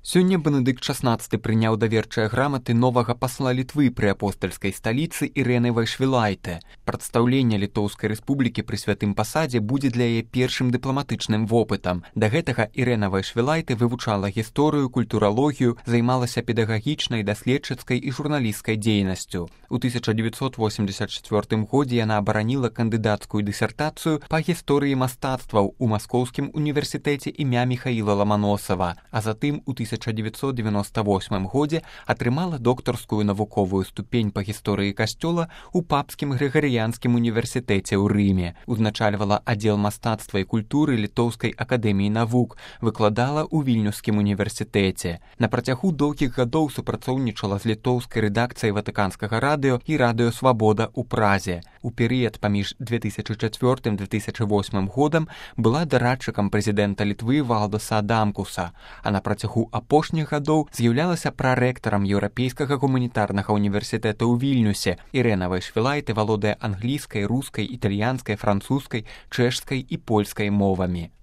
Сёння Бенедыкт XVI прыняў даверчыя граматы новага пасла Літвы пры апостальскай сталіцы Ірэны Вайшвілайте. Прадстаўленне Літоўскай рэспублікі пры святым пасадзе будзе для яе першым дыпламатычным вопытам. Да гэтага Ірэна Вайшвілайте вывучала гісторыю, культуралогію, займалася педагагічнай, даследчыцкай і журналісцкай дзейнасцю. У 1984 годзе яна абараніла кандыдацкую дысертацыю па гісторыі мастацтваў у Маскоўскім універсітэце імя Міхаіла Ламаносава, а затым у 1998 годзе атрымала доктарскую навуковую ступень па гісторыі касцёла ў Папскім Грыгарыянскім універсітэце ў Рыме. Узначальвала аддзел мастацтва і культуры Літоўскай акадэміі навук, выкладала ў Вільнюскім універсітэце. На працягу доўгіх гадоў супрацоўнічала з літоўскай рэдакцыяй Ватыканскага радыё і радыё Свабода ў Празе. У перыяд паміж 2004-2008 годам была дарадчыкам прэзідэнта Літвы Валдаса Адамкуса, а на працягу апошніх гадоў з'яўлялася прарэктарам Еўрапейскага гуманітарнага універсітэта ў Вільнюсе. Ірэна Вайшвілайте валодае англійскай, рускай, італьянскай, французскай, чэшскай і польскай мовамі.